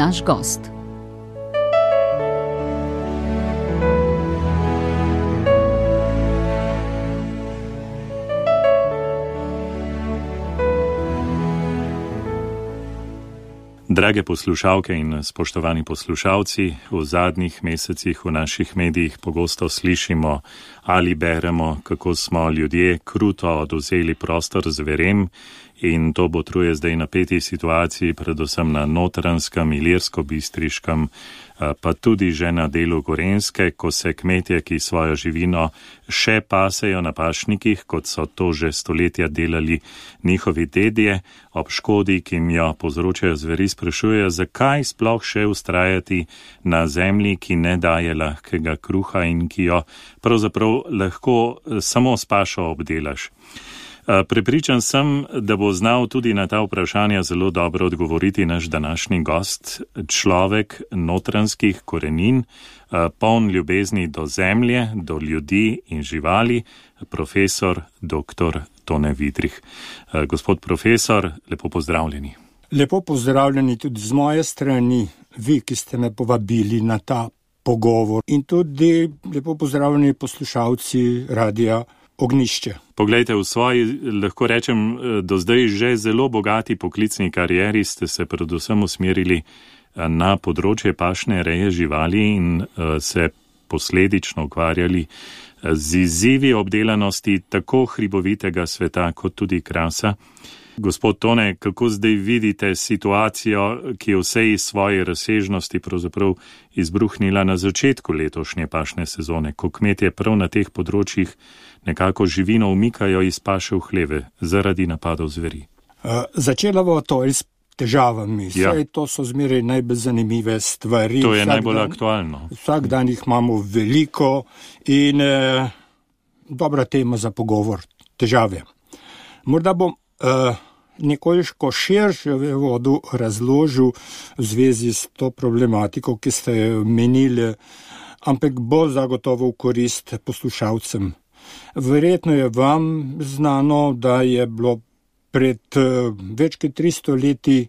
naš gost. Drage poslušalke in spoštovani poslušalci, v zadnjih mesecih v naših medijih pogosto slišimo ali beremo, kako smo ljudje kruto odvzeli prostor zverem in to botruje zdaj napeti situaciji, predvsem na Notranjskem, Ilirsko-Bistriškem, pa tudi že na delu Gorenjske, ko se kmetje, ki svojo živino še pasejo na pašnikih, kot so to že stoletja delali njihovi dedje, ob škodi, ki jim jo povzročajo zveri, sprašujejo, zakaj sploh še vztrajati na zemlji, ki ne daje lahkega kruha in ki jo pravzaprav lahko samo s pašo obdelaš. Prepričan sem, da bo znal tudi na ta vprašanja zelo dobro odgovoriti naš današnji gost, človek notranjskih korenin, poln ljubezni do zemlje, do ljudi in živali, profesor dr. Tone Vidrih. Gospod profesor, lepo pozdravljeni. Lepo pozdravljeni tudi z moje strani, vi, ki ste me povabili na ta pogovor, in tudi lepo pozdravljeni poslušalci Radia Ognjišče. Poglejte, v svoji, lahko rečem, do zdaj že zelo bogati poklicni karieri ste se predvsem usmerili na področje pašne reje živali in se posledično ukvarjali z izzivi obdelanosti tako hribovitega sveta kot tudi krasa. Gospod Tone, kako zdaj vidite situacijo, ki je vsej svoje razsežnosti pravzaprav izbruhnila na začetku letošnje pašne sezone, ko kmetje prav na teh področjih nekako živino umikajo iz paše v hleve zaradi napadov zveri? Začela bo to s težavami. Saj to so zmeraj najbolj zanimive stvari. To je najbolj aktualno. Vsak dan jih imamo veliko in dobra tema za pogovor, težave. Morda bom nekoliko širše v vodu razložil v zvezi s to problematiko, ki ste jo omenili, ampak bo zagotovo v korist poslušalcem. Verjetno je vam znano, da je bilo pred več kot 300 leti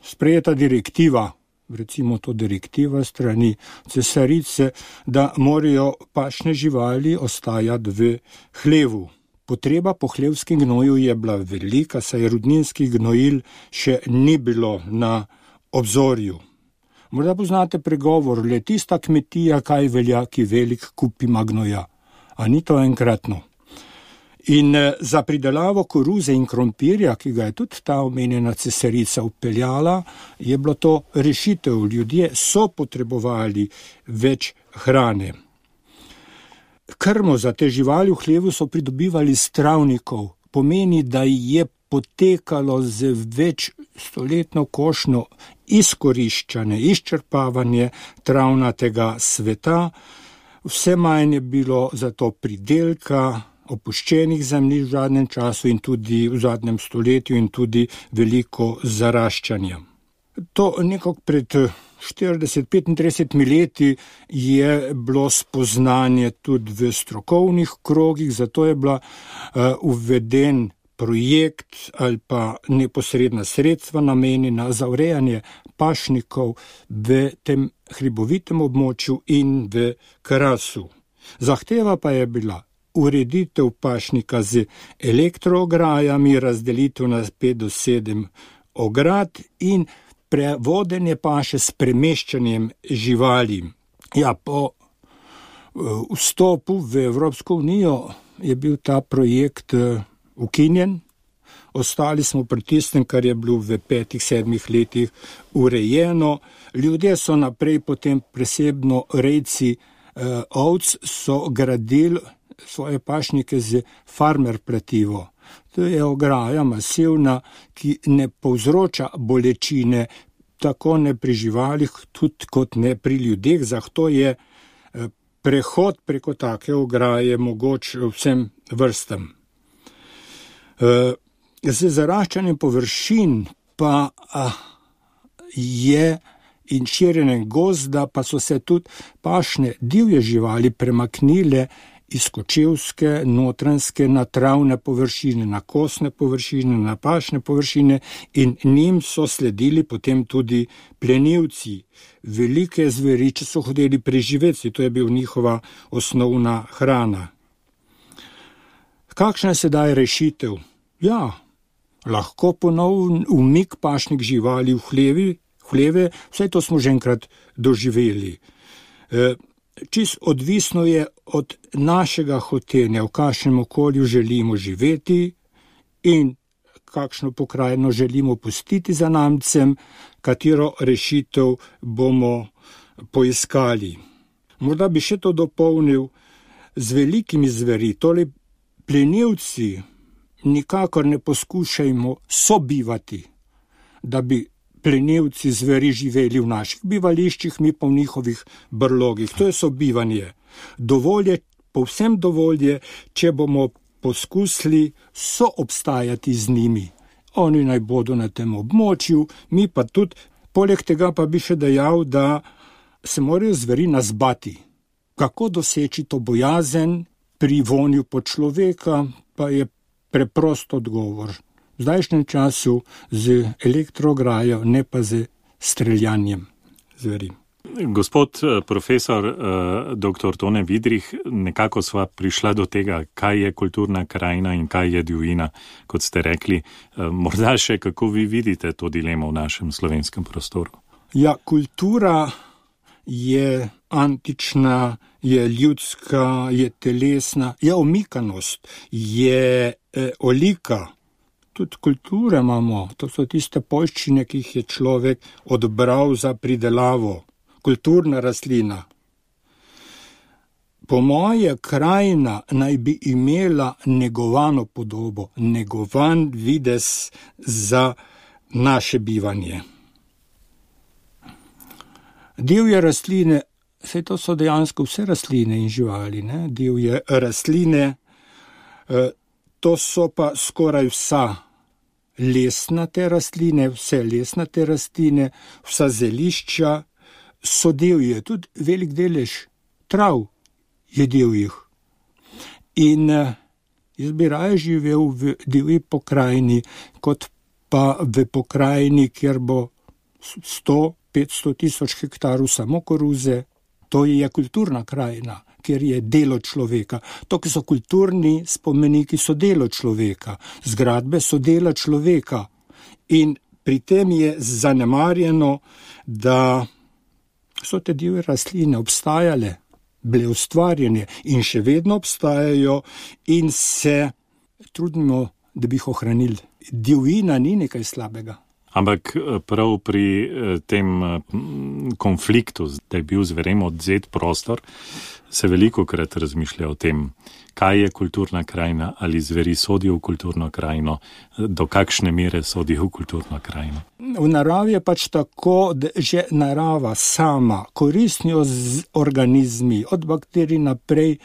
sprejeta direktiva, recimo to direktiva strani cesarice, da morajo pašne živali ostajati v hlevu. Potreba po hlevskem gnoju je bila velika, saj rudninskih gnojil še ni bilo na obzorju. Morda poznate pregovor, le tista kmetija, kaj velja, ki velik kup ima gnoja. A ni to enkratno? In za pridelavo koruze in krompirja, ki ga je tudi ta omenjena cesarica upeljala, je bilo to rešitev. Ljudje so potrebovali več hrane. Krmo za te živali v hlevu so pridobivali s travnikov. Pomeni, da je potekalo z več stoletno košnjo izkoriščanje, izčrpavanje travnatega sveta. Vse manj je bilo zato pridelka, opuščenih zemljišč v zadnjem času in tudi v zadnjem stoletju in tudi veliko zaraščanja. To nekako pred 40-35 leti je bilo spoznanje tudi v strokovnih krogih, zato je bila uveden projekt ali pa neposredna sredstva namenjena za urejanje pašnikov v tem hribovitem območju in v Krasu. Zahteva pa je bila ureditev pašnika z elektroograjami, razdelitev na 5 do 7 ograd in prevodenje paše s premeščanjem živali. Ja, po vstopu v Evropsko unijo je bil ta projekt ukinjen. Ostali smo pri tistem, kar je bilo v 5-7 letih urejeno. Ljudje so naprej potem presebno rejci ovc so gradili svoje pašnike z farmer pletivo. To je ograja masivna, ki ne povzroča bolečine, tako ne pri živalih, tudi kot ne pri ljudeh. Zato je prehod preko take ograje mogoč vsem vrstam. Z zaraščanjem površin pa je in širjenjem gozda pa so se tudi pašne divje živali premaknile izkočevske, notranske, na travne površine, na kostne površine, na pašne površine in njim so sledili potem tudi plenilci, velike zveri, če so hodili preživeti, to je bil njihova osnovna hrana. Kakšna je sedaj rešitev? Ja, lahko ponovno umik pašnih živali v hleve, vse to smo že enkrat doživeli. Čist odvisno je od našega hotenja, v kakšnem okolju želimo živeti in kakšno pokrajino želimo pustiti za namcem, katero rešitev bomo poiskali. Morda bi še to dopolnil z velikimi zveri, torej plenilci nikakor ne poskušajmo sobivati, da bi plenilci zveri živeli v naših bivališčih, mi pa v njihovih brlogih. To je sobivanje. Dovolj je, povsem dovolj je, če bomo poskusili soobstajati z njimi. Oni naj bodo na tem območju, mi pa tudi. Poleg tega pa bi še dejal, da se morajo zveri nas bati. Kako doseči to bojazen pri vonju po človeka, pa je preprost odgovor. V zdajšnjem času z elektroograjo, ne pa z streljanjem zveri. Gospod profesor dr. Tone Vidrih, nekako sva prišla do tega, kaj je kulturna krajina in kaj je divjina, kot ste rekli. Morda še kako vi vidite to dilemo v našem slovenskem prostoru? Ja, kultura je antična, je ljudska, je telesna, je omikanost, je olika. Tudi kulture imamo, to so tiste poljščine, ki jih je človek odbral za pridelavo. Kulturna rastlina. Po moje krajina naj bi imela negovano podobo, negovan videz za naše bivanje. Divje rastline, saj to so dejansko vse rastline in živali, ne? Divje rastline, to so pa skoraj vsa lesnate rastline, vse lesnate rastline, vsa zelišča so divje, tudi velik delež trav je divjih. In jaz bi raje živel v divji pokrajini, kot pa v pokrajini, kjer bo 100-500 tisoč hektarov samo koruze. To je kulturna krajina, kjer je delo človeka. To, ki so kulturni spomeniki, so delo človeka. Zgradbe so dela človeka. In pri tem je zanemarjeno, da so te divje rastline obstajale, bile ustvarjene in še vedno obstajajo in se trudimo, da bi jih ohranili. Divjina ni nekaj slabega. Ampak prav pri tem konfliktu, da je bil zverem odzet prostor, se velikokrat razmišlja o tem, kaj je kulturna krajina, ali zveri sodijo v kulturno krajino, do kakšne mere sodijo v kulturno krajino. V naravi je pač tako, da že narava sama, koristni organizmi, od bakterij naprej,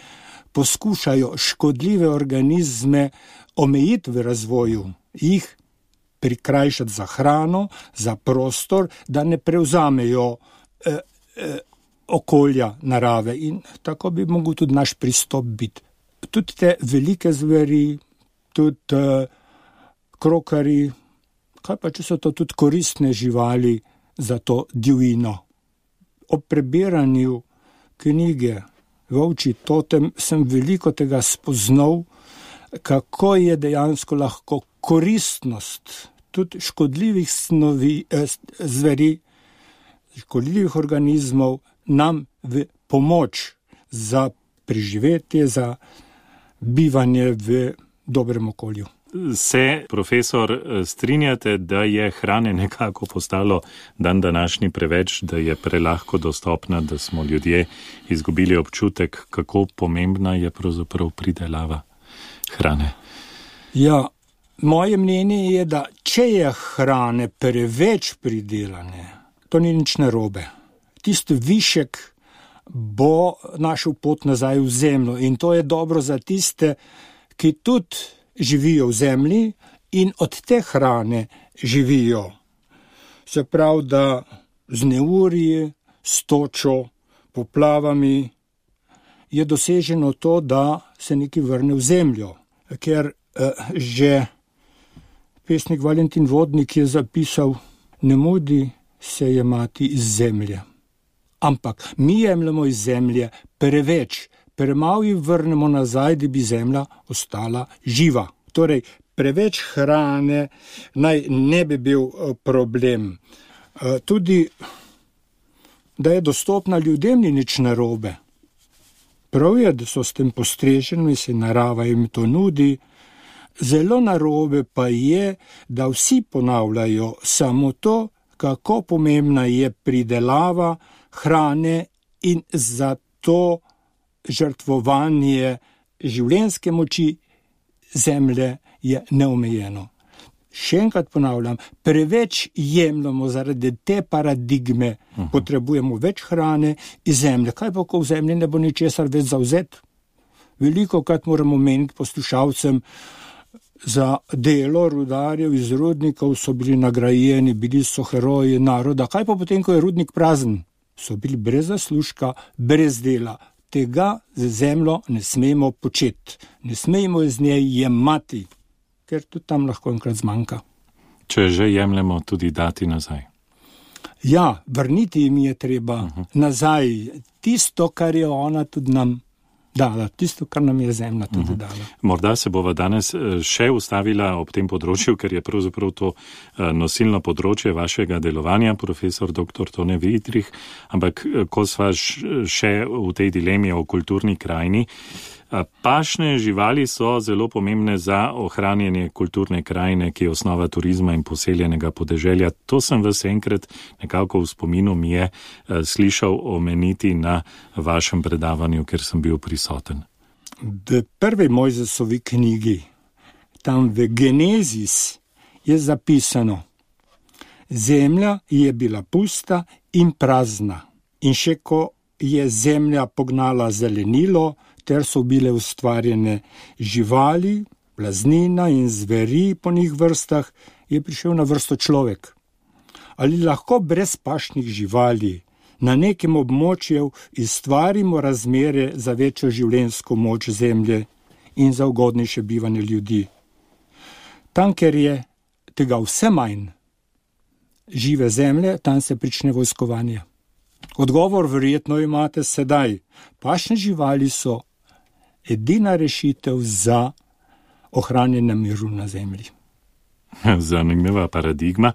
poskušajo škodljive organizme omejiti v razvoju, jih prikrajšati za hrano, za prostor, da ne prevzamejo okolja narave. In tako bi mogel tudi naš pristop biti. Tudi te velike zveri, tudi krokari, kaj pa če so to tudi koristne živali za to divjino. Ob prebiranju knjige Volčji totem sem veliko tega spoznal, kako je dejansko lahko koristnost tudi škodljivih zveri, škodljivih organizmov nam v pomoč za preživetje, za bivanje v dobrem okolju. Se, profesor, strinjate, da je hrane nekako postalo dan današnji preveč, da je prelahko dostopna, da smo ljudje izgubili občutek, kako pomembna je pravzaprav pridelava hrane? Ja, moje mnenje je, da če je hrane preveč pridelane, to ni nič narobe. Tisti višek bo našel pot nazaj v zemljo in to je dobro za tiste, ki tudi živijo v zemlji in od te hrane živijo. Se pravi, da z neurji, s točo, poplavami je doseženo to, da se nekaj vrne v zemljo. Ker že pesnik Valentin Vodnik je zapisal, ne mudi se jemati iz zemlje. Ampak mi jemljemo iz zemlje preveč, premalo ji vrnemo nazaj, da bi zemlja ostala živa. Torej, preveč hrane naj ne bi bil problem. Tudi, da je dostopna ljudem, ni nič narobe. Prav je, da so s tem postreženi, se narava jim to nudi. Zelo narobe pa je, da vsi ponavljajo samo to, kako pomembna je pridelava hrane in zato žrtvovanje življenjske moči zemlje je neomejeno. Še enkrat ponavljam, preveč jemljamo zaradi te paradigme, potrebujemo več hrane iz zemlje. Kaj pa, ko v zemlji ne bo ničesar več zavzet? Veliko krat moramo meniti poslušalcem, za delo rudarjev iz rudnikov so bili nagrajeni, bili so heroji naroda. Kaj pa potem, ko je rudnik prazen? So bili brez zaslužka, brez dela. Tega z zemljo ne smemo početi. Ne smemo iz nje jemati, ker tudi tam lahko enkrat zmanjka. Če že jemljemo, tudi dati nazaj. Ja, vrniti jim je treba nazaj. Tisto, kar je ona tudi nam dala, tisto, kar nam je zemlja tudi dala. Morda se bova danes še ustavila ob tem področju, ker je pravzaprav to nosilno področje vašega delovanja, profesor dr. Tone Vidrih, ampak ko sva še v tej dilemi o kulturni krajini, pašne živali so zelo pomembne za ohranjanje kulturne krajine, ki je osnova turizma in poseljenega podeželja. To sem vas enkrat nekako v spominu mi je slišal omeniti na vašem predavanju, ker sem bil prisoten. V prvi Mojzesovi knjigi, tam v Genezis, je zapisano: zemlja je bila pusta in prazna. In še ko je zemlja pognala zelenilo, ter so bile ustvarjene živali, blaznina in zveri po njih vrstah, je prišel na vrsto človek. Ali lahko brez pašnih živali na nekem območju ustvarimo razmere za večjo življenjsko moč zemlje in za ugodnejše bivanje ljudi? Tam, ker je tega vse manj žive zemlje, tam se prične vojskovanje. Odgovor verjetno imate sedaj. Pašne živali so edina rešitev za ohranjanje miru na zemlji. Zanimiva paradigma.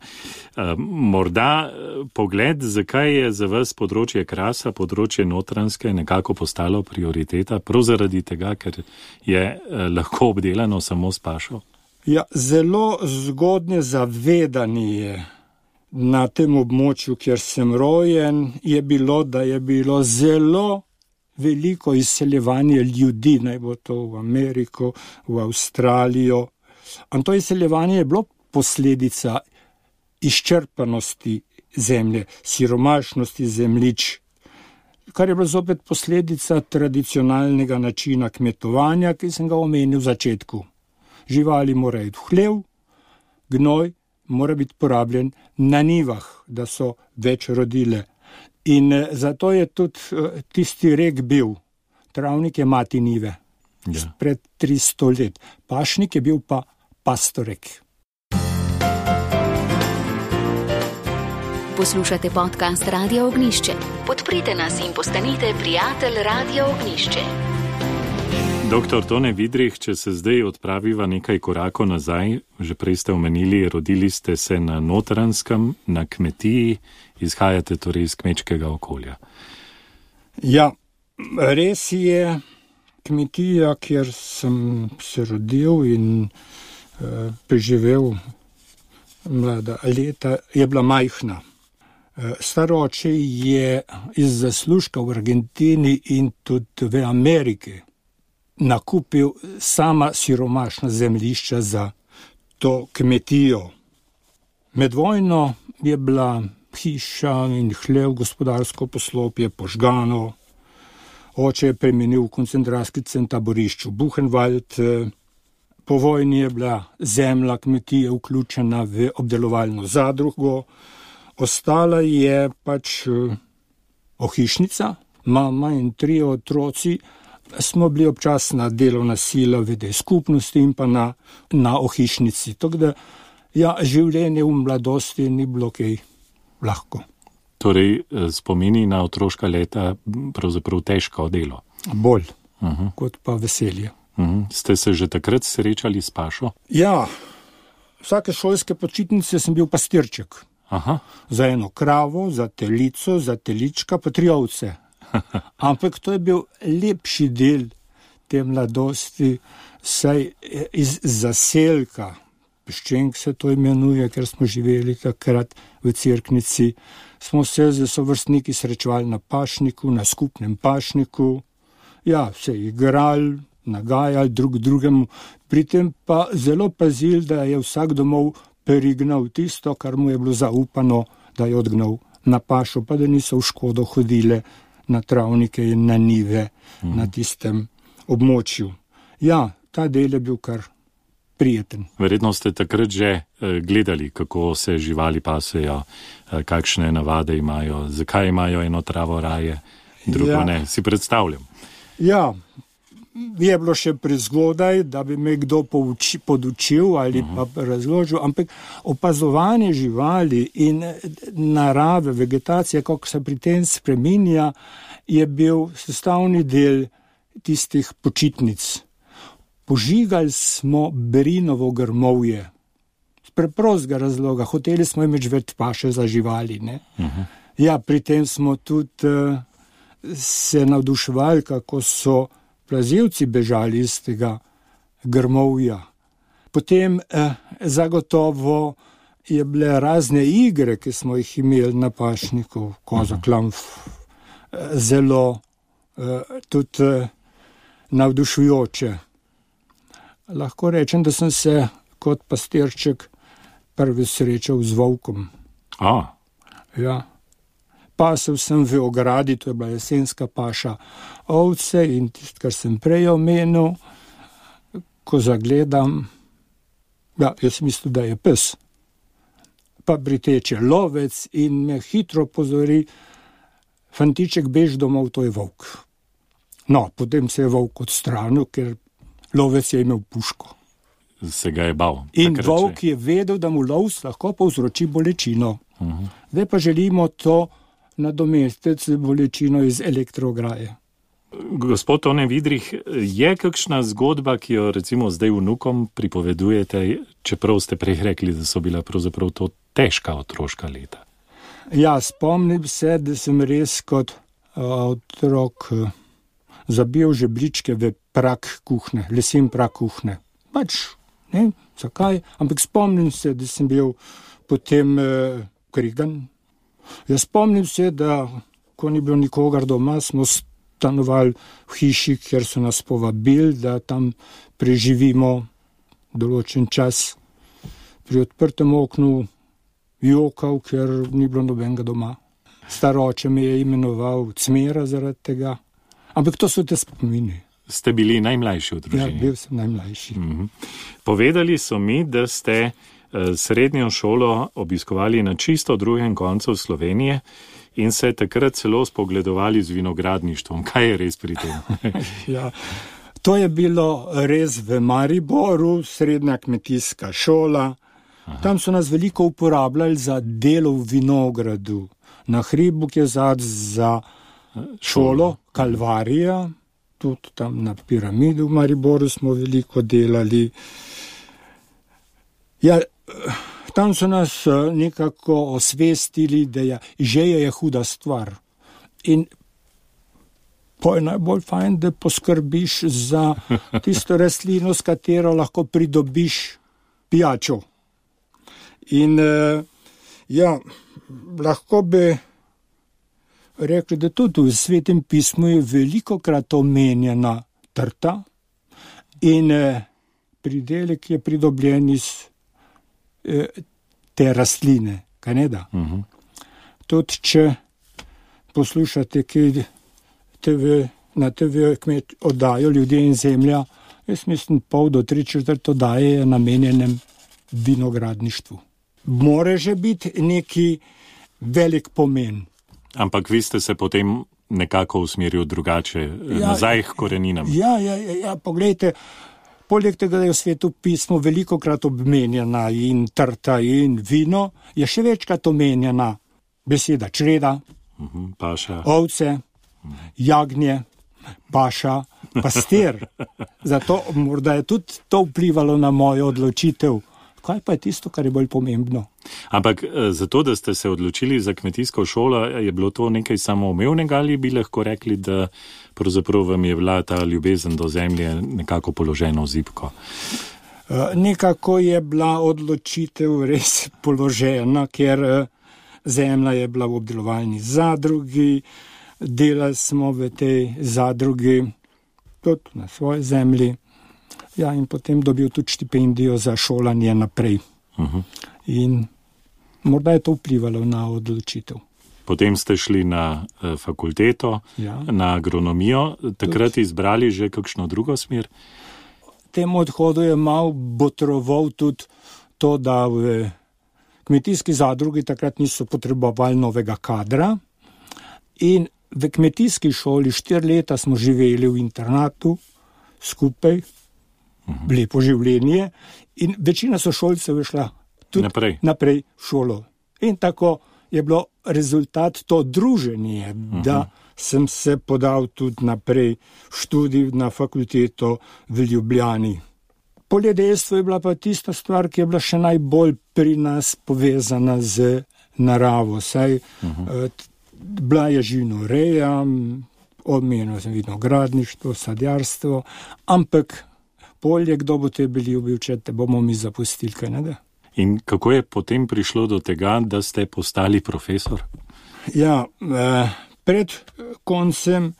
Morda pogled, zakaj je za vas področje krasa, področje Notranjske nekako postalo prioriteta, prav zaradi tega, ker je lahko obdelano samo s pašo? Ja, zelo zgodnje zavedanje na tem območju, kjer sem rojen, je bilo, da je bilo zelo veliko izseljevanje ljudi, naj bo to v Ameriko, v Avstralijo. In to izseljevanje je bilo posledica izčrpanosti zemlje, siromašnosti zemljišč, kar je bilo zopet posledica tradicionalnega načina kmetovanja, ki sem ga omenil v začetku. Živali morajo iti v hlev, gnoj mora biti porabljen na njivah, da so več rodile. In zato je tudi tisti rek bil, travnik je mati njive, pred 300 let. Pašnik je bil pa pastorek. Poslušate podcast Radio Ognjišče. Podprite nas in postanite prijatelj Radio Ognjišče. Doktor Tone Vidrih, če se zdaj odpraviva nekaj korakov nazaj, že prej ste omenili, rodili ste se na Notranjskem, na kmetiji, izhajate torej iz kmečkega okolja. Ja, res je, kmetija, kjer sem se rodil in preživel mlada leta, je bila majhna. Staroče je iz zaslužka v Argentini in tudi v Ameriki nakupil sama siromašna zemljišča za to kmetijo. Med vojno je bila hiša in hlev, gospodarsko poslopje požgano. Oče je premenil v koncentracijski center taborišču Buchenwald. Po vojni je bila zemlja kmetije vključena v obdelovalno zadrugo. Ostala je pač ohišnica, mama in 3 otroci, smo bili občasna delovna sila v tej skupnosti in pa na ohišnici. Tako da, življenje v mladosti ni bilo kaj lahko. Torej, spomini na otroška leta pravzaprav težko delo. Bolj, kot pa veselje. Ste se že takrat srečali s pašo? Ja, vsake šolske počitnice sem bil pastirček. Aha. Za eno kravo, za telico, za telička, pa 3 ovce. Ampak to je bil lepši del te mladosti, saj iz zaselka, Peščenk se to imenuje, ker smo živeli takrat v Cerknici, smo se z sovrstniki srečevali na pašniku, na skupnem pašniku, se igrali, nagajali drugemu, pri tem pa zelo pazili, da je vsak domov perignal tisto, kar mu je bilo zaupano, da je odgnal na pašo, pa da niso v škodo hodile na travnike in na nive na tistem območju. Ta del je bil kar prijeten. Verjetno ste takrat že gledali, kako se živali pasejo, kakšne navade imajo, zakaj imajo eno travo raje, drugo ne. Si predstavljam. Je bilo še prezgodaj, da bi me kdo podučil ali pa razložil, ampak opazovanje živali in narave, vegetacija, kako se pri tem spreminja, je bil sestavni del tistih počitnic. Požigali smo berinovo grmovje. Z preprostega razloga. Hoteli smo imeti več paše za živali. Ne? Pri tem smo tudi se navduševali, kako so plazilci bežali iz tega grmovja. Potem zagotovo je bile razne igre, ki smo jih imeli na pašniku, koza, klamf, zelo tudi navdušujoče. Lahko rečem, da sem se kot pastirček prvi srečal z volkom. Pasel sem v ogradi, to je bila jesenska paša ovce in tisto, kar sem prej omenil, ko zagledam, jaz mislim, da je pes. Pa priteče lovec in me hitro pozori, fantiček, bež domov, to je volk. Potem se je volk odstranil, ker lovec je imel puško. Se ga je bal. In volk je vedel, da mu lovec lahko povzroči bolečino. Zdaj pa želimo to nadomestiti z bolečino iz elektroograje. Gospod Tone Vidrih, je kakšna zgodba, ki jo recimo zdaj vnukom pripovedujete, čeprav ste prej rekli, da so bila pravzaprav to težka otroška leta? Spomnim se, da sem res kot otrok zabil žebljičke v prak kuhne, lesen prak kuhne. Ne, zakaj? Ampak spomnim se, da sem bil potem krigan. Spomnim se, da ko ni bilo nikogar doma, smo stanovali v hiši, kjer so nas povabili, da tam preživimo določen čas. Pri odprtem oknu jokal, ker ni bilo nobenega doma. Star oče me je imenoval Cmera zaradi tega. Ampak to so te spomini. Ste bili najmlajši v družini? Bil sem najmlajši. Povedali so mi, da ste srednjo šolo obiskovali na čisto drugem koncu Slovenije in se takrat celo spogledovali z vinogradništvom. Kaj je res pri tem? To je bilo res v Mariboru, srednja kmetijska šola. Tam so nas veliko uporabljali za delo v vinogradu. Na hribu, ki je za šolo, Kalvarija, tudi tam na piramidi v Mariboru smo veliko delali. Tam so nas nekako osvestili, da žeja je huda stvar. In je najbolj fajn, da poskrbiš za tisto rastlino, s katero lahko pridobiš pijačo. In lahko bi rekli, da tudi v Svetem pismu je velikokrat omenjena trta in pridelek je pridobljen iz te rastline, kaj ne da? Tudi, če poslušate, ki na TV kmet oddajo Ljudje in zemlja, jaz mislim 2 do 3/4 oddaje je namenjenem vinogradništvu. More že biti neki velik pomen. Ampak vi ste se potem nekako usmeril drugače, nazaj k koreninam. Ja, poglejte, poleg tega, da je v svetu pismo velikokrat obmenjena in trta in vino, je še večkrat omenjena beseda čreda, paša, ovce, jagnje, paša, pastir. Zato morda je tudi to vplivalo na mojo odločitev. Kaj pa je tisto, kar je bolj pomembno? Ampak zato, da ste se odločili za kmetijsko šolo, je bilo to nekaj samoumevnega ali bi lahko rekli, da pravzaprav vam je bila ta ljubezen do zemlje nekako položena v zibko? Nekako je bila odločitev res položena, ker zemlja je bila v obdelovalni zadrugi, delali smo v tej zadrugi, tudi na svoji zemlji. Ja, in potem dobil tudi štipendijo za šolanje naprej. In morda je to vplivalo na odločitev. Potem ste šli na fakulteto, na agronomijo, takrat izbrali že kakšno drugo smer? Temu odhodu je malo botroval tudi to, da v kmetijski zadrugi takrat niso potrebovali novega kadra in v kmetijski šoli 4 leta smo živeli v internatu skupaj, lepo življenje in večina sošolcev je šla tudi naprej v šolo. In tako je bilo rezultat to druženje, da sem se podal tudi naprej v študij na fakulteto v Ljubljani. Poljedelstvo je bila pa tista stvar, ki je bila še najbolj pri nas povezana z naravo. Saj bila je živinoreja, omenil sem vinogradništvo, sadjarstvo, ampak polje, kdo bo te bili ubil, če te bomo mi zapustili, kaj ne da? In kako je potem prišlo do tega, da ste postali profesor? Ja, pred koncem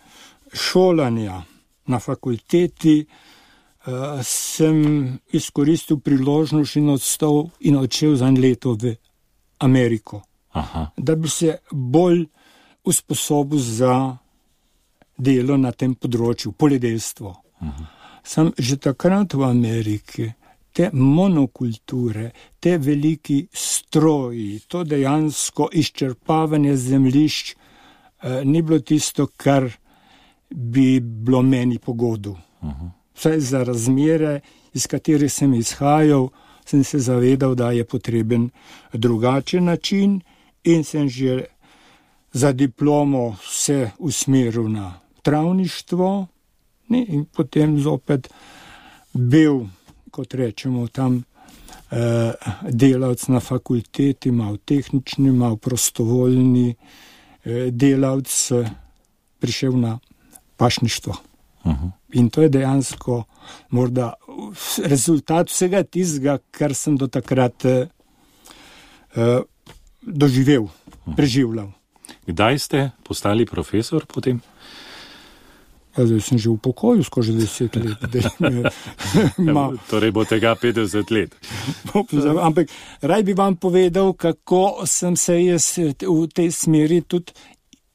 šolanja na fakulteti sem izkoristil priložnost in odšel za 1 leto v Ameriko. Da bi se bolj usposobil za delo na tem področju, poljedelstvo. Sem že takrat v Ameriki, te monokulture, te veliki stroji, to dejansko izčrpavanje zemljišč ni bilo tisto, kar bi bilo meni po godu. Vsaj za razmere, iz katerih sem izhajal, sem se zavedal, da je potreben drugačen način in sem že za diplomo se usmeril na travništvo. In potem zopet bil, kot rečemo, tam delavc na fakulteti, malo tehnični, malo prostovoljni delavc, prišel na pašništvo. In to je dejansko morda rezultat vsega tistega, kar sem do takrat doživel, preživljal. Kdaj ste postali profesor potem? Zdaj sem že v pokoju skozi 10 let. Torej bo tega 50 let. Ampak raj bi vam povedal, kako sem se jaz v tej smeri tudi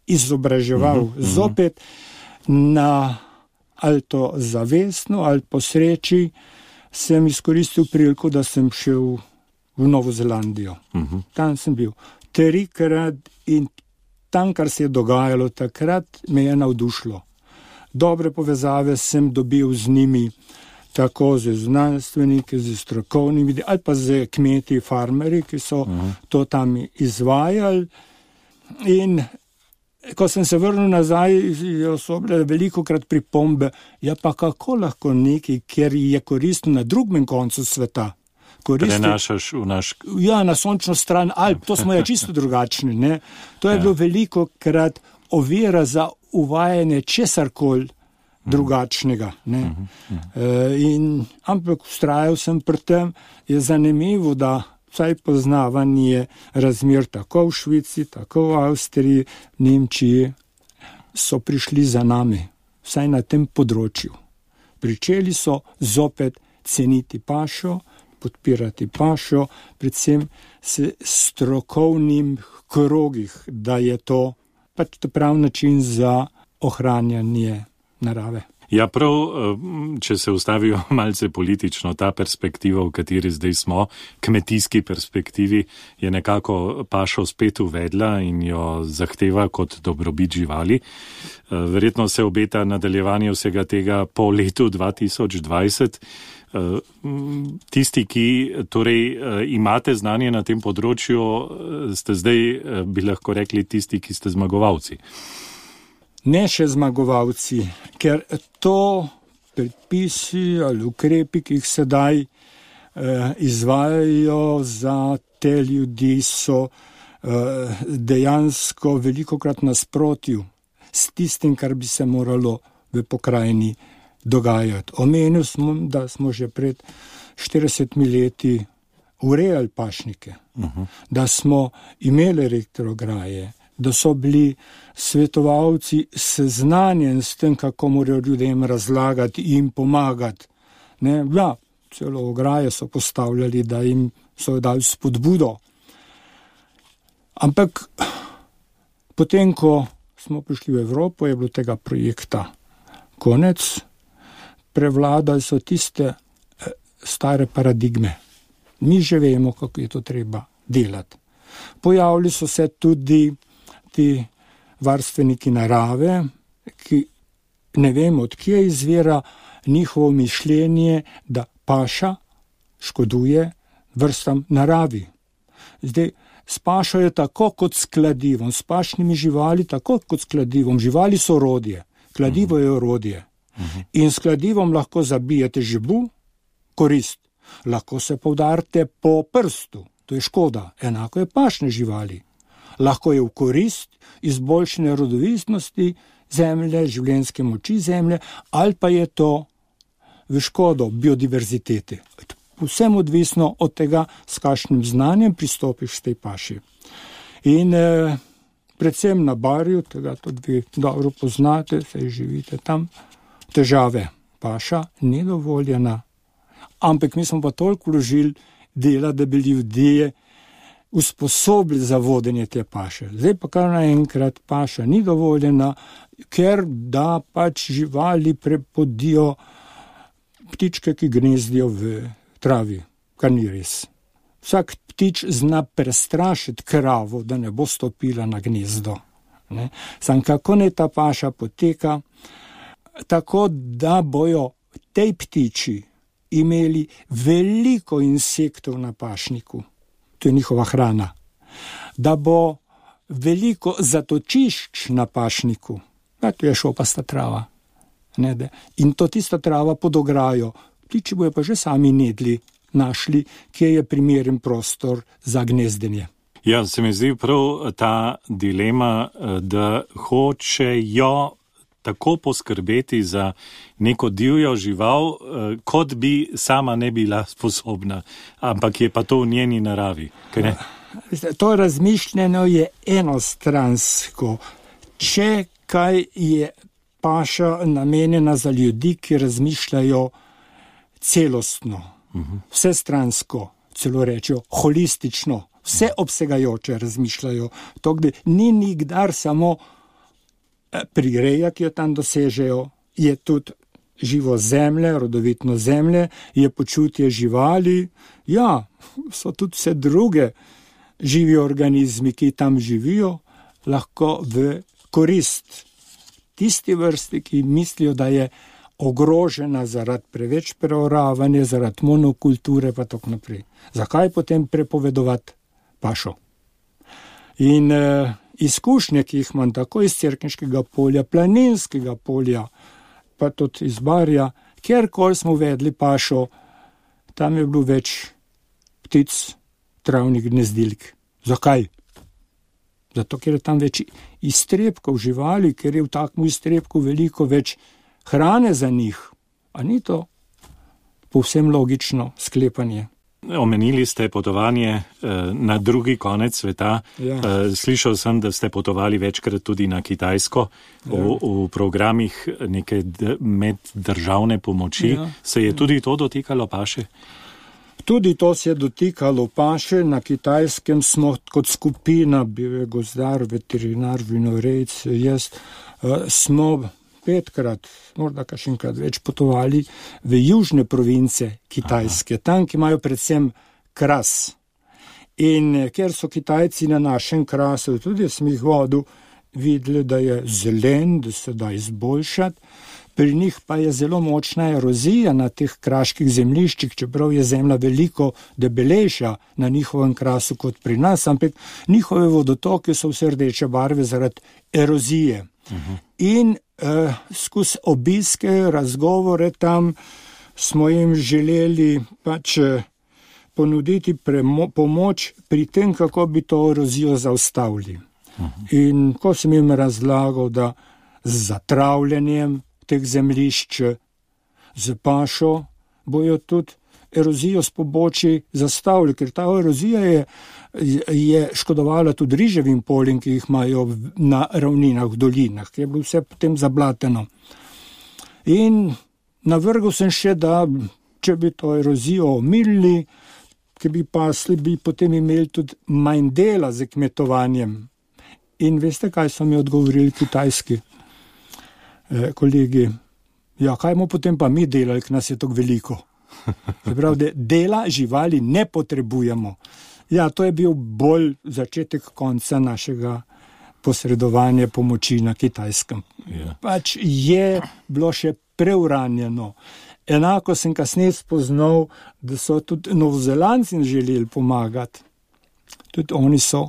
izobraževal. Zopet ali to zavestno, ali po sreči sem izkoristil priliko, da sem šel v Novo Zelandijo. Tam sem bil 3-krat in tam, kar se je dogajalo takrat, me je navdušilo. Dobre povezave sem dobil z njimi, tako z znanstveniki, z strokovnimi, ali pa z kmeti, farmerji, ki so to tam izvajali. In ko sem se vrnil nazaj, so bile velikokrat pripombe, ja pa kako lahko nekaj, ker je koristno na drugem koncu sveta, prenašaš v naš... Ja, na sončno stran Alp, to smo ja čisto drugačni, ne. To je bilo velikokrat ovira za uvajanje česarkoli drugačnega, ne. Ampak vztrajal sem pri tem, je zanimivo, da vsaj poznavanje razmer tako v Švici, tako v Avstriji, Nemčiji, so prišli za nami, vsaj na tem področju. Pričeli so zopet ceniti pašo, podpirati pašo, predvsem s strokovnim krogih, da je to pač prav način za ohranjanje narave. Ja, prav, če se ustavijo malce politično, ta perspektiva, v kateri zdaj smo, kmetijski perspektivi, je nekako pašo spet uvedla in jo zahteva kot dobrobit živali. Verjetno se obeta nadaljevanje vsega tega po letu 2020. Tisti, ki torej imate znanje na tem področju, ste zdaj, bi lahko rekli, tisti, ki ste zmagovalci. Ne še zmagovalci, ker to predpisi ali ukrepi, ki jih sedaj izvajajo za te ljudi, so dejansko velikokrat nasprotju s tistim, kar bi se moralo v pokrajini dogajati. Omenil smo, da smo že pred 40 leti urejali pašnike, da smo imeli elektrograje, da so bili svetovalci seznanjeni s tem, kako morajo ljudem razlagati in pomagati. Ja, celo ograje so postavljali, da jim so dali spodbudo. Ampak potem, ko smo prišli v Evropo, je bilo tega projekta konec. Prevladali so tiste stare paradigme. Mi že vemo, kako je to treba delati. Pojavili so se tudi ti varstveniki narave, ki ne vemo, odkje izvira njihovo mišljenje, da paša škoduje vrstam naravi. Zdaj, s pašo je tako kot s kladivom, s pašnimi živali tako kot s kladivom. Živali so orodje, kladivo je orodje. In s kladivom lahko zabijete žibu, korist. Lahko se poudarite po prstu, to je škoda. Enako je pašne živali. Lahko je v korist izboljšane rodovitnosti zemlje, življenjske moči zemlje, ali pa je to v škodo biodiverziteti. Vsem odvisno od tega, s kakšnim znanjem pristopiš k tej paši. In predvsem na Barju, tega tudi vi dobro poznate, saj živite tam, težave. Paša ni dovoljena, ampak mi smo pa toliko vložili dela, da bi ljudje usposobili za vodenje te paše. Zdaj pa kar naenkrat paša ni dovoljena, ker da pač živali prepodijo ptičke, ki gnezdijo v travi, kar ni res. Vsak ptič zna prestrašiti kravo, da ne bo stopila na gnezdo. Sam kako ne ta paša poteka, tako da bojo tej ptiči imeli veliko insektov na pašniku. To je njihova hrana. Da bo veliko zatočišč na pašniku. To je šopasta trava. In to tista trava pod ograjo. Ptiči bojo pa že sami nedli, našli, kje je primeren prostor za gnezdenje. Ja, se mi zdi prav ta dilema, da hočejo tako poskrbeti za neko divjo žival, kot bi sama ne bila sposobna, ampak je pa to v njeni naravi. To razmišljeno je enostransko. Če kaj je paša namenjena za ljudi, ki razmišljajo celostno, vsestransko, celo rečejo holistično, vseobsegajoče razmišljajo. To, da ni nikdar samo prireja, ki jo tam dosežejo, je tudi živo zemlje, rodovitno zemlje, je počutje živali, ja, so tudi vse druge živi organizmi, ki tam živijo, lahko v korist tisti vrsti, ki mislijo, da je ogrožena zaradi preveč preoravanja, zaradi monokulture pa tako naprej. Zakaj potem prepovedovati pašo? In izkušnje, ki jih imam tako iz Cerkniškega polja, Planinskega polja, pa tudi iz Barja, kjerkoli smo uvedli pašo, tam je bilo več ptic, travnih gnezdilk. Zakaj? Zato, ker je tam več iztrebkov živali, ker je v takem iztrebku veliko več hrane za njih. A ni to povsem logično sklepanje? Omenili ste potovanje na drugi konec sveta. Ja. Slišal sem, da ste potovali večkrat tudi na Kitajsko, v programih neke meddržavne pomoči. Ja. Se je tudi to dotikalo paše? Tudi to se je dotikalo paše. Na Kitajskem smo kot skupina, bil je gozdar, veterinar, vinorejc, jaz, smo 5-krat, morda kakšenkrat več potovali v južne province Kitajske, tam, ki imajo predvsem kras. In ker so Kitajci na našem krasu, tudi sem jih vodil, videli, da je zelen, da se da izboljšati, pri njih pa je zelo močna erozija na teh kraških zemljiščih, čeprav je zemlja veliko debelejša na njihovem krasu kot pri nas, ampak njihove vodotoke so vse rdeče barve zaradi erozije. In skozi obiske, razgovore tam smo jim želeli pač ponuditi pomoč pri tem, kako bi to erozijo zaustavili. In ko sem jim razlagal, da z zatravljanjem teh zemljišč, z pašo, bojo tudi erozijo s pobočji zastavili, ker ta erozija je škodovala tudi riževim poljem, ki jih imajo na ravninah, v dolinah, ki je bilo vse potem zablateno. In navrgal sem še, da če bi to erozijo omilili, ki bi pasli, bi potem imeli tudi manj dela z kmetovanjem. In veste, kaj so mi odgovorili kitajski kolegi? Ja, kaj bomo potem pa mi delali, ker nas je tako veliko? Se pravi, da dela živali ne potrebujemo. Ja, to je bil bolj začetek konca našega posredovanja pomoči na Kitajskem. Pač je bilo še preuranjeno. Enako sem kasneje spoznal, da so tudi Novozelandci želeli pomagati. Tudi oni so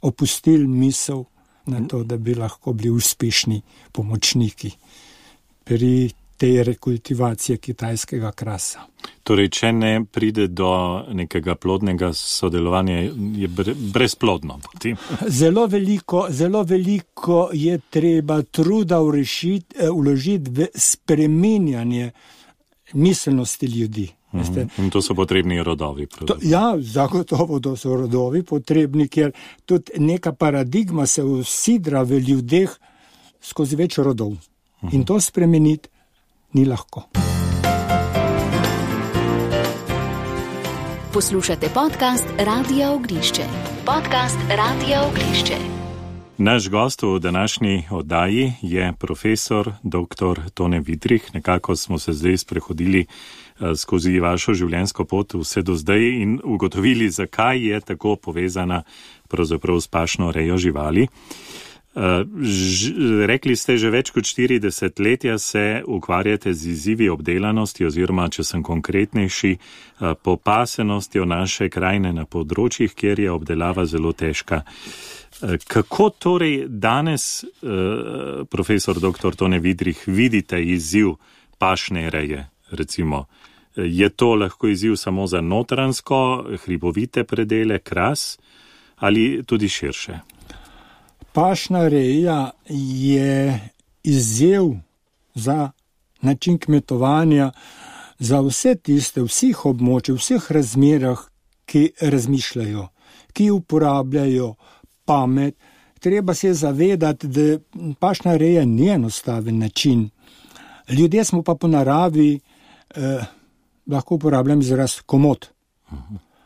opustili misel na to, da bi lahko bili uspešni pomočniki pri tej rekultivacije kitajskega krasa. Torej, če ne pride do nekega plodnega sodelovanja, je brezplodno potem. Zelo veliko je treba truda vložiti v spreminjanje miselnosti ljudi. In to so potrebni rodovi. Ja, zagotovo to so rodovi potrebni, ker tudi neka paradigma se usidra v ljudeh skozi več rodov. In to spremeniti ni lahko. Poslušate podcast Radia Ognjišče. Podcast Radia Ognjišče. Naš gost v današnji oddaji je profesor dr. Tone Vidrih. Nekako smo se zdaj sprehodili skozi vašo življenjsko pot vse do zdaj in ugotovili, zakaj je tako povezana pravzaprav s pašno rejo živali. Rekli ste, že več kot 40 letja se ukvarjate z izzivi obdelanosti oziroma, če sem konkretnejši, popasenostjo naše krajine na področjih, kjer je obdelava zelo težka. Kako torej danes, profesor dr. Tone Vidrih, vidite izziv pašne reje, recimo? Je to lahko izziv samo za notransko, hribovite predele, kras ali tudi širše? Pašna reja je izziv za način kmetovanja za vse tiste, vseh območij, vseh razmerah, ki razmišljajo, ki uporabljajo pamet. Treba se zavedati, da pašna reja ni enostaven način. Ljudje smo pa po naravi, lahko uporabljam izraz komod.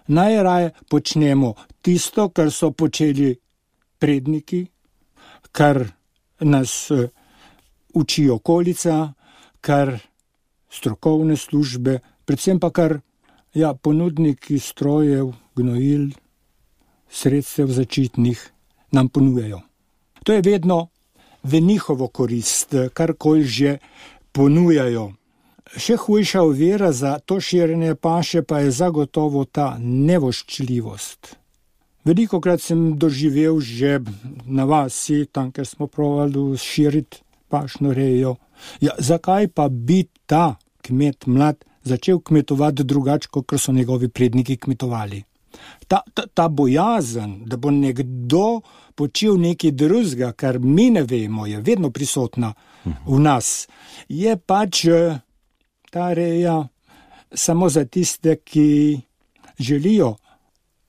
Najraje počnemo tisto, kar so počeli predniki, kar nas uči okolica, kar strokovne službe, predvsem pa kar ponudniki strojev, gnojil, sredstev zaščitnih nam ponujajo. To je vedno v njihovo korist, karkoli že ponujajo. Še hujša ovira za to širjenje paše pa je zagotovo ta nevoščljivost. Velikokrat sem doživel že na vasi, tam, ker smo provali širiti pašno rejo. Ja, zakaj pa bi ta kmet mlad začel kmetovati drugače, kot so njegovi predniki kmetovali? Ta bojazen, da bo nekdo počel nekaj drugega, kar mi ne vemo, je vedno prisotna v nas. Je pač ta reja samo za tiste, ki želijo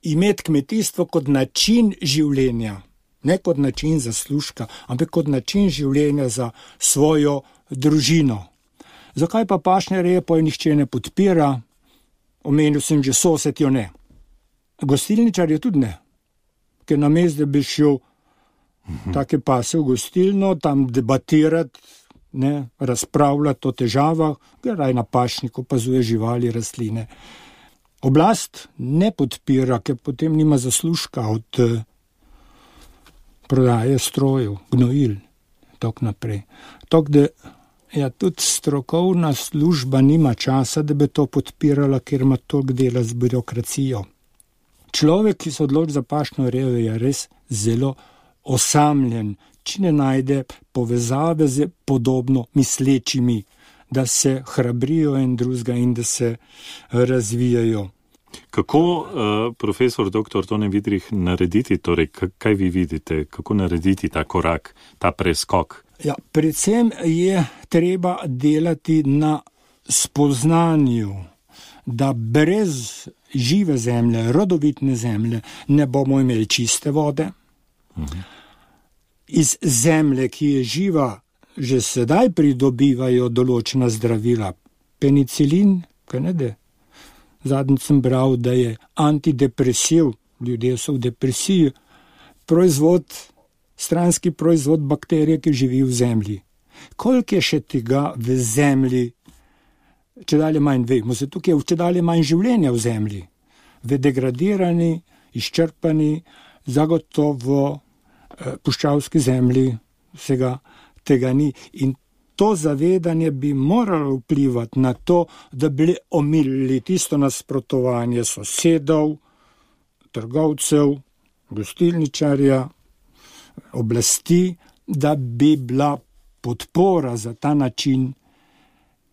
imeti kmetijstvo kot način življenja, ne kot način zaslužka, ampak kot način življenja za svojo družino. Zakaj pa pašne reje pa jo nihče ne podpira? Omenil sem že sosed jo ne. Gostilničar je tudi ne, ker namesto, da bi šel take pase v gostilno, tam debatirati, razpravljati o težavah, raj na pašniku opazuje živali, rastline. Oblast ne podpira, ker potem nima zaslužka od prodaje strojev, gnojil, tako naprej. Tako da tudi strokovna služba nima časa, da bi to podpirala, ker ima toliko dela z birokracijo. Človek, ki se odloči za pašno rejo, je res zelo osamljen, če ne najde povezave z podobno mislečimi, da se hrabrijo en drugega in da se razvijajo. Kako, profesor dr. Tone Vidrih, narediti, torej, kaj vi vidite, kako narediti ta korak, ta preskok? Ja, predvsem je treba delati na spoznanju, da brez žive zemlje, rodovitne zemlje, ne bomo imeli čiste vode. Iz zemlje, ki je živa, že sedaj pridobivajo določena zdravila. Penicilin, zadnjič sem bral, da je antidepresiv, ljudje so v depresiji, stranski proizvod bakterije, ki živi v zemlji. Koliko je še tega v zemlji, če dalje manj vemo, zato je če dalje manj življenja v zemlji. V degradirani, izčrpani, zagotovo puščavski zemlji vsega tega ni. In to zavedanje bi moralo vplivati na to, da bi omilili tisto nasprotovanje sosedov, trgovcev, gostilničarja, oblasti, da bi bila podpora za ta način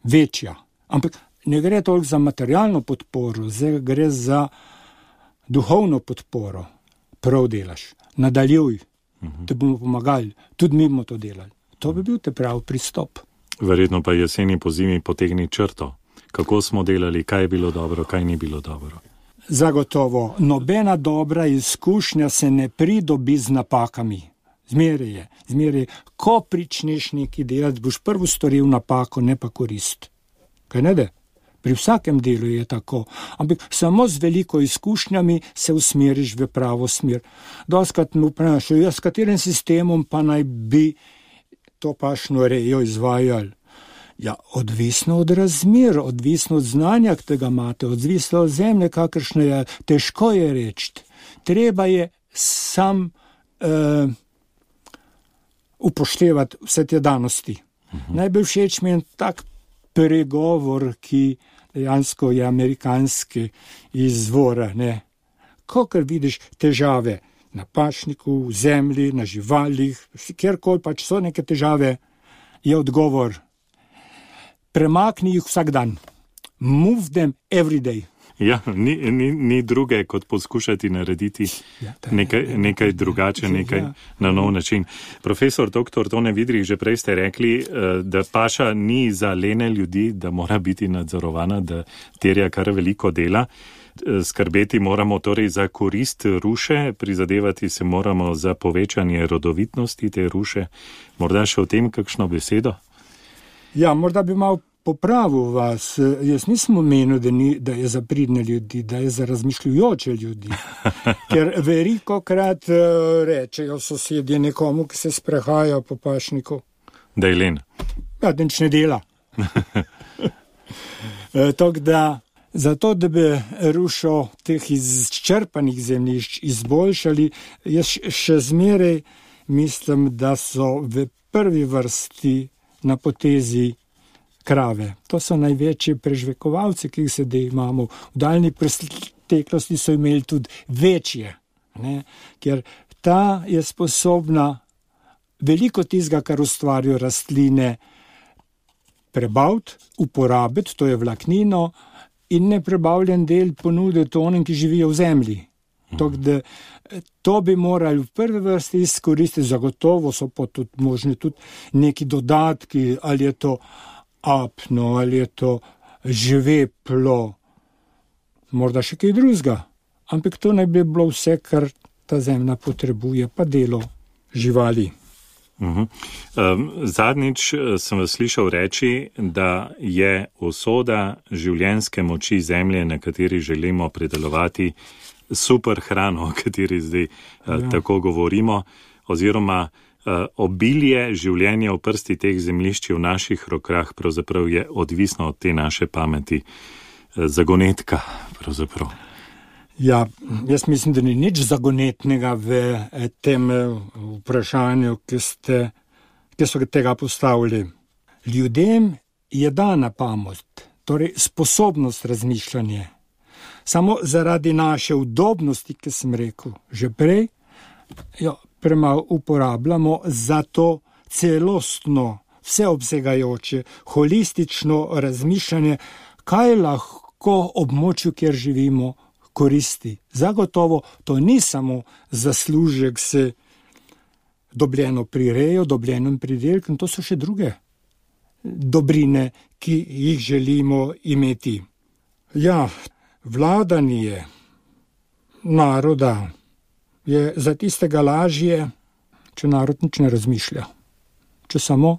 večja. Ampak ne gre toliko za materialno podporo, zdaj gre za duhovno podporo. Prav delaš, nadaljuj, te bomo pomagali, tudi mi bomo to delali. To bi bil te prav pristop. Verjetno pa jeseni po zimi potegni črto. Kako smo delali, kaj je bilo dobro, kaj ni bilo dobro? Zagotovo, nobena dobra izkušnja se ne pridobi z napakami. Zmeraj je. Ko pričneš nekaj delati, boš prvo storil napako, ne pa korist. Kaj ne de? Pri vsakem delu je tako. Ampak samo z veliko izkušnjami se usmeriš v pravo smer. Dostakrat me vprašajo, s katerim sistemom pa naj bi to pašno rejo izvajali? Ja, odvisno od razmer, odvisno od znanja, ki ga imate, odvisno od zemlje, kakršne je, težko je reči. Treba je sam upoštevati vse te danosti. Najbolj všeč mi je tak pregovor, ki dejansko je amerikanski izvora. Kakor vidiš težave na pašniku, v zemlji, na živalih, kjerkoli pač so neke težave, je odgovor: premakni jih vsak dan. Move them every day. Ja, ni druge, kot poskušati narediti nekaj drugače, nekaj na nov način. Profesor dr. Tone Vidrih, že prej ste rekli, da paša ni za lene ljudi, da mora biti nadzorovana, da terja kar veliko dela. Skrbeti moramo torej za korist ruše, prizadevati se moramo za povečanje rodovitnosti te ruše. Morda še o tem kakšno besedo? Ja, morda bi malo popravil vas. Jaz nisem omenil, da je za pridne ljudi, da je za razmišljujoče ljudi. Ker velikokrat rečejo sosedje nekomu, ki se sprehaja po pašniku, da je len. Ja, da nič ne dela. Tako da, zato, da bi rušo teh izčrpanih zemljišč izboljšali, jaz še zmeraj mislim, da so v prvi vrsti na potezi krave. To so največji prežvekovalci, ki jih sedaj imamo. V daljni preteklosti so imeli tudi večje, ker ta je sposobna veliko tistega, kar ustvarijo rastline, prebaviti, uporabiti, to je vlaknino, in neprebavljen del ponuditi onim, ki živijo v zemlji. To bi morali v prvi vrsti izkoristiti, zagotovo so pa tudi možni tudi neki dodatki, ali je to apno, ali je to žveplo, morda še kaj drugega. Ampak to naj bi bilo vse, kar ta zemlja potrebuje, pa delo živali. Zadnjič sem vas slišal reči, da je usoda življenjske moči zemlje, na kateri želimo pridelovati super hrano, o kateri zdaj tako govorimo, oziroma Obilje življenja v prsti teh zemljišč v naših rokah pravzaprav je odvisno od te naše pameti, zagonetka pravzaprav. Ja, jaz mislim, da ni nič zagonetnega v tem vprašanju, ki so tega postavili. Ljudem je dana pamet, torej sposobnost razmišljanja. Samo zaradi naše udobnosti, ki sem rekel že prej, jo premalo uporabljamo za to celostno, vseobsegajoče, holistično razmišljanje, kaj lahko območju, kjer živimo, koristi. Zagotovo to ni samo zaslužek s dobljeno prirejo, dobljenim pridelkom, to so še druge dobrine, ki jih želimo imeti. Ja, vladanje naroda je za tistega lažje, če narod nič ne razmišlja. Če samo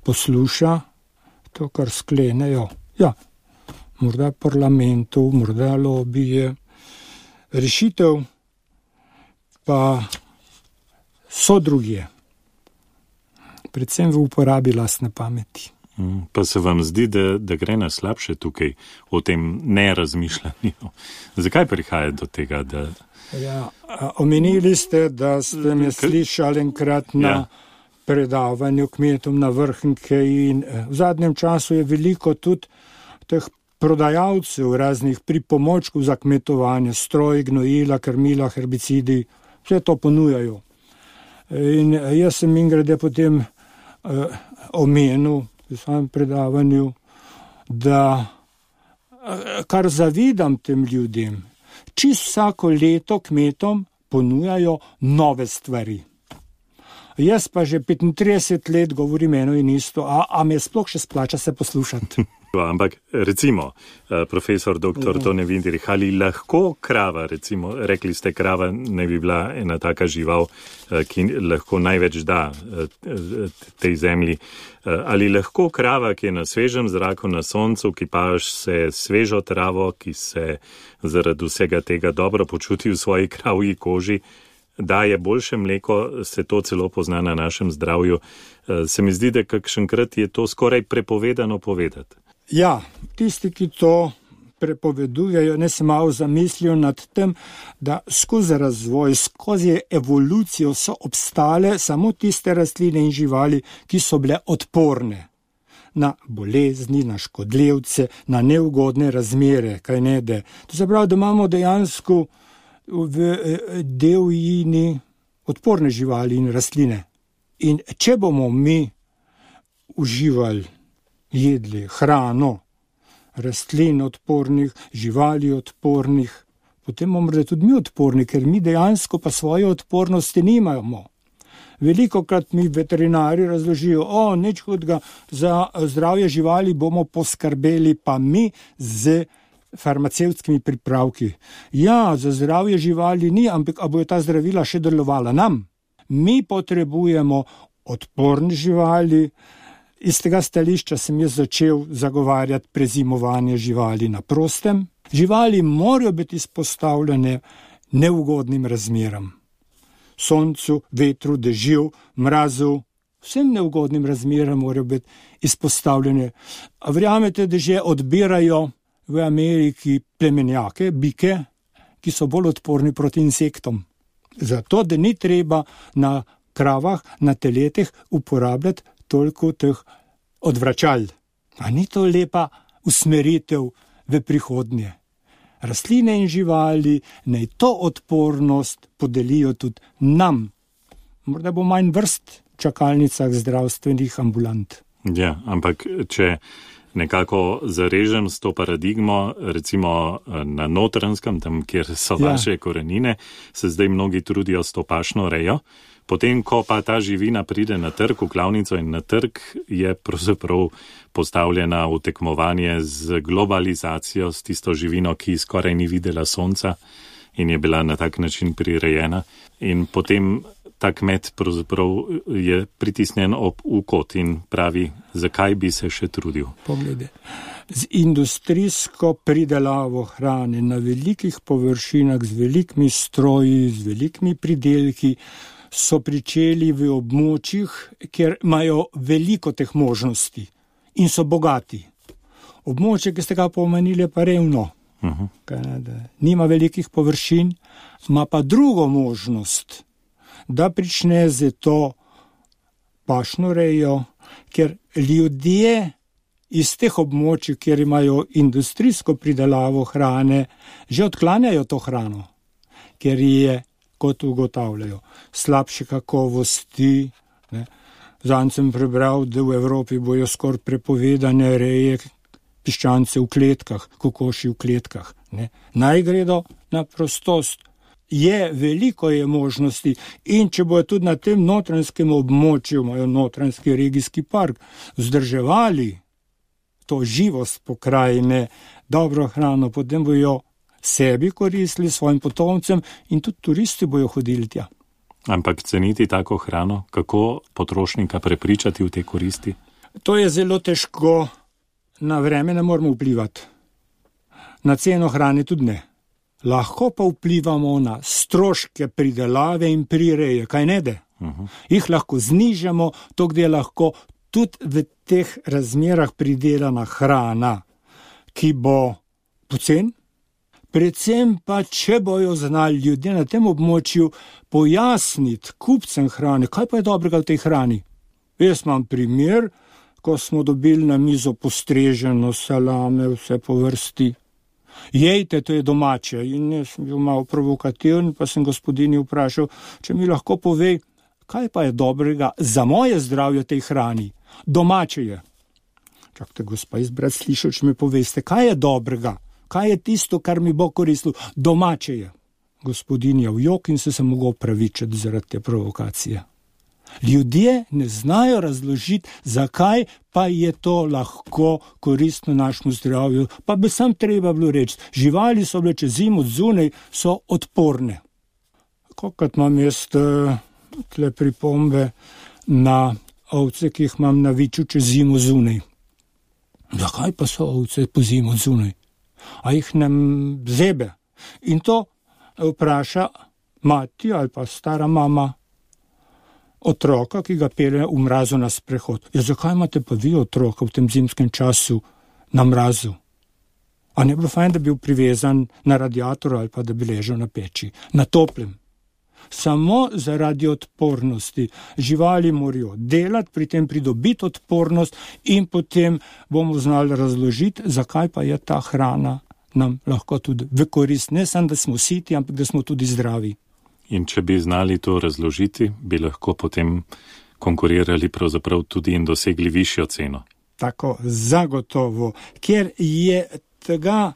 posluša to, kar sklenejo. Ja, morda parlamentu, morda lobije. Rešitev pa so drugje. Predvsem v uporabi lastne pameti. Pa se vam zdi, da gre na slabše tukaj o tem nerazmišljanju? Zakaj prihaja do tega, da... Ja, omenili ste, da ste me slišali enkrat na predavanju kmetom na Vrhnike in v zadnjem času je veliko tudi teh prodajalcev raznih pripomočkov za kmetovanje, stroj, gnojila, krmila, herbicidi, vse to ponujajo. In jaz sem ingrede potem omenil v svojem predavanju, da kar zavidam tem ljudem, čisto vsako leto kmetom ponujajo nove stvari. Jaz pa že 35 let govorim eno in isto, a me sploh še splača se poslušati. Ampak recimo, profesor dr. Tone Vindirich, ali lahko krava, recimo, rekli ste, krava ne bi bila ena taka žival, ki lahko največ da tej zemlji, ali lahko krava, ki je na svežem zraku, na soncu, ki paš se svežo travo, ki se zaradi vsega tega dobro počuti v svoji kravji koži, daje boljše mleko, se to celo pozna na našem zdravju. Se mi zdi, da kakšenkrat je to skoraj prepovedano povedati. Ja, tisti, ki to prepovedujejo, ne se malo zamislijo nad tem, da skozi razvoj, skozi evolucijo so obstale samo tiste rastline in živali, ki so bile odporne na bolezni, na škodljivce, na neugodne razmere, kaj ne de. To se pravi, da imamo dejansko v divjini odporne živali in rastline. In če bomo mi uživali, jedli hrano, rastlin odpornih, živali odpornih, potem bomo tudi mi odporni, ker mi dejansko pa svoje odpornosti nimamo. Velikokrat mi veterinari razložijo, nič hudega, za zdravje živali bomo poskrbeli pa mi z farmacevtskimi pripravki. Ja, za zdravje živali ni, ampak a bojo ta zdravila še delovala nam? Mi potrebujemo odporne živali. Iz tega stališča sem jaz začel zagovarjati prezimovanje živali na prostem. Živali morajo biti izpostavljene neugodnim razmeram. Soncu, vetru, dežju, mrazu, vsem neugodnim razmeram morajo biti izpostavljene. A verjamete, da že odbirajo v Ameriki plemenjake, bike, ki so bolj odporni proti insektom. Zato, da ni treba na kravah, na teletih uporabljati toliko teh odvračal. A ni to lepa usmeritev v prihodnje? Rastline in živali naj to odpornost podelijo tudi nam. Morda bo manj vrst v čakalnicah zdravstvenih ambulant. Ja, ampak če nekako zarežem s to paradigmo, recimo na Notranjskem, tam, kjer so vaše korenine, se zdaj mnogi trudijo s to pašno rejo. Potem, ko pa ta živina pride na trg, v klavnico in na trg, je pravzaprav postavljena v tekmovanje z globalizacijo, s tisto živino, ki skoraj ni videla sonca in je bila na tak način prirejena. In potem ta kmet pravzaprav je pritisnjen v kot in pravi, zakaj bi se še trudil. Poglede, z industrijsko pridelavo hrane na velikih površinah, z velikimi stroji, z velikimi pridelki, so pričeli v območjih, kjer imajo veliko teh možnosti in so bogati. Območje, ki ste ga pomenili, pa revno. Nima velikih površin, ima pa drugo možnost, da prične z to pašno rejo, ker ljudje iz teh območij, kjer imajo industrijsko pridelavo hrane, že odklanjajo to hrano, ker je, kot ugotavljajo, slabše kakovosti. Zanj sem prebral, da v Evropi bojo skoraj prepovedane reje piščance v kletkah, kokoši v kletkah. Naj gredo na prostost. Veliko je možnosti in če bojo tudi na tem notranjskem območju, imajo notranjski regijski park, vzdrževali to živost pokrajine, dobro hrano, potem bojo sebi koristili, svojim potomcem in tudi turisti bojo hodili tja. Ampak ceniti tako hrano, kako potrošnika prepričati v te koristi? To je zelo težko, na vreme ne moramo vplivati. Na ceno hrane tudi ne. Lahko pa vplivamo na stroške pridelave in prireje, kaj ne de? Jih lahko znižamo, to gde lahko tudi v teh razmerah pridelana hrana, ki bo pocen, predvsem pa, če bojo znali ljudje na tem območju pojasniti kupcem hrane, kaj pa je dobrega v tej hrani. Jaz imam primer, ko smo dobili na mizo postreženo salame, vse po vrsti. Jejte, to je domače. In jaz sem bil malo provokativen, pa sem gospodinji vprašal, če mi lahko pove, kaj pa je dobrega za moje zdravje tej hrani. Domače je. Čakajte, gospa, izbrat slišal, če mi poveste, kaj je dobrega, kaj je tisto, kar mi bo koristilo. Domače je. Gospodinja v jok in se mogel opravičiti zaradi te provokacije. Ljudje ne znajo razložiti, zakaj pa je to lahko koristno našemu zdravju, pa bi sam treba bilo reči, živali so bile čez zimo zunaj, so odporne. Kolikrat imam jaz tle pripombe na ovce, ki jih imam na viču čez zimo zunaj. Zakaj pa so ovce po zimo zunaj? A jih ne zebe? In to vpraša mati ali pa stara mama otroka, ki ga pelje v mrazu na sprehod. Ja, zakaj imate pa vi otroka v tem zimskem času na mrazu? A ne bi bilo fajn, da bi bil privezan na radiator ali pa da bi ležal na peči, na toplem? Samo zaradi odpornosti. Živali morajo delati, pri tem pridobiti odpornost in potem bomo znali razložiti, zakaj pa je ta hrana nam lahko tudi v korist. Ne samo, da smo siti, ampak da smo tudi zdravi. In če bi znali to razložiti, bi lahko potem konkurirali pravzaprav tudi in dosegli višjo ceno. Tako, zagotovo. Ker je tega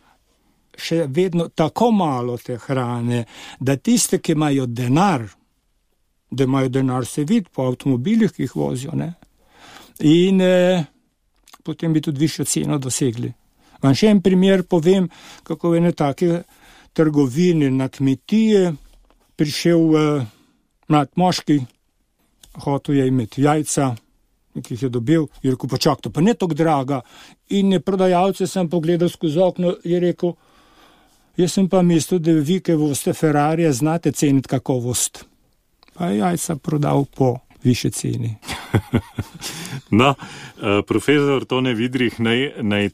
še vedno tako malo te hrane, da tiste, ki imajo denar, se vidi po avtomobilih, ki jih vozijo, ne? In potem bi tudi višjo ceno dosegli. Vam še en primer povem, kako v ene take trgovine na kmetije prišel mlad moški, hotel je imeti jajca, ki jih je dobil, je rekel, pa čak, to pa ne tako draga. In prodajalce sem pogledal skozi okno, je rekel, jaz sem pa mislil, da vi, ki voste Ferrarije, znate ceniti kakovost. Pa je jajca prodal po više ceni. No, profesor Tone Vidrih, naj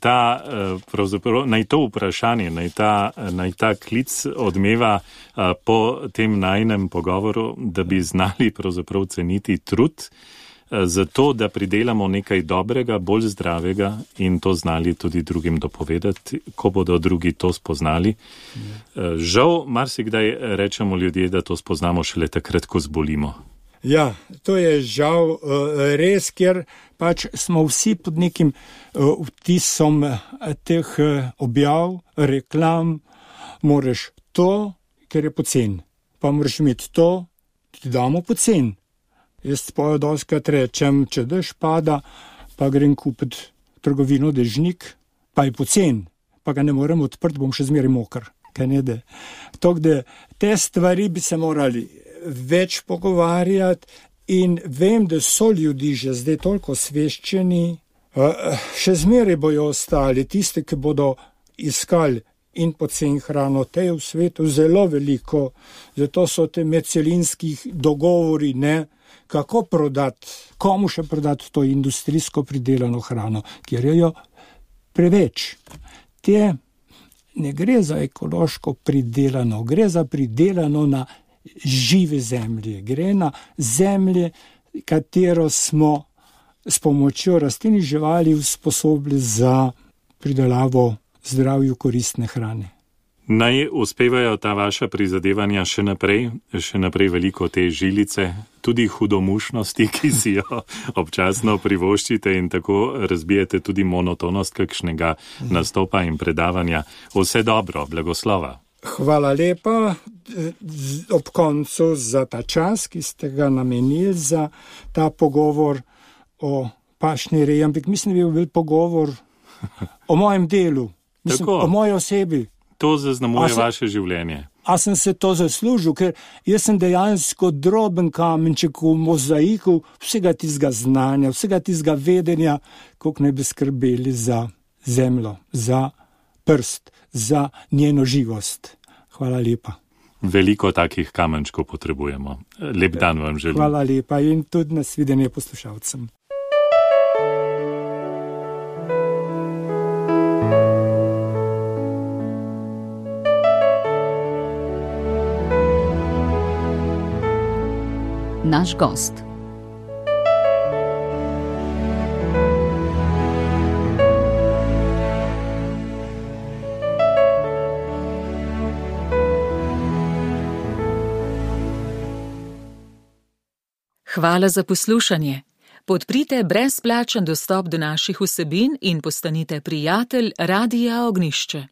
to vprašanje, naj ta klic odmeva po tem najinem pogovoru, da bi znali pravzaprav ceniti trud, zato da pridelamo nekaj dobrega, bolj zdravega in to znali tudi drugim dopovedati, ko bodo drugi to spoznali. Žal, marsikdaj rečemo ljudje, da to spoznamo šele takrat, ko zbolimo. Ja, to je žal res, ker pač smo vsi pod nekim vtisom teh objav, reklam, moraš to, ker je pocen, pa moraš imeti to, ti damo pocen. Jaz spojo doskrat rečem, če dež pada, pa grem kupiti trgovino dežnik, pa je pocen, pa ga ne morem odprti, bom še zmeraj mokr, kaj ne de. Tako, te stvari bi se morali več pogovarjati in vem, da so ljudi že zdaj toliko osveščeni, še zmeraj bojo ostali, tiste, ki bodo iskali in poceni hrano. Te je v svetu zelo veliko, zato so te medcelinskih dogovori, kako prodati, komu še prodati to industrijsko pridelano hrano, ker je jo preveč. Ne gre za ekološko pridelano, gre za pridelano na žive zemlje, gre na zemlje, katero smo s pomočjo rastlin in živali usposobili za pridelavo zdravju koristne hrane. Naj uspevajo ta vaša prizadevanja še naprej veliko te žilice, tudi hudomušnosti, ki si jo občasno privoščite in tako razbijete tudi monotonost kakšnega nastopa in predavanja. Vse dobro, blagoslova. Hvala lepa ob koncu za ta čas, ki ste ga namenili za ta pogovor o pašni reji, ampak mislim, da bi bil pogovor o mojem delu, o moji osebi. To zaznamuje vaše življenje. A sem se to zaslužil, ker jaz sem dejansko droben kamenček v mozaiku vsega tistega znanja, vsega tistega vedenja, koliko ne bi skrbeli za zemljo, za prst, za njeno živost. Hvala lepa. Veliko takih kamenčkov potrebujemo. Lep dan vam želim. Hvala lepa in tudi nasvidenje poslušalcem. Naš gost. Hvala za poslušanje. Podprite brezplačen dostop do naših vsebin in postanite prijatelj Radia Ognjišče.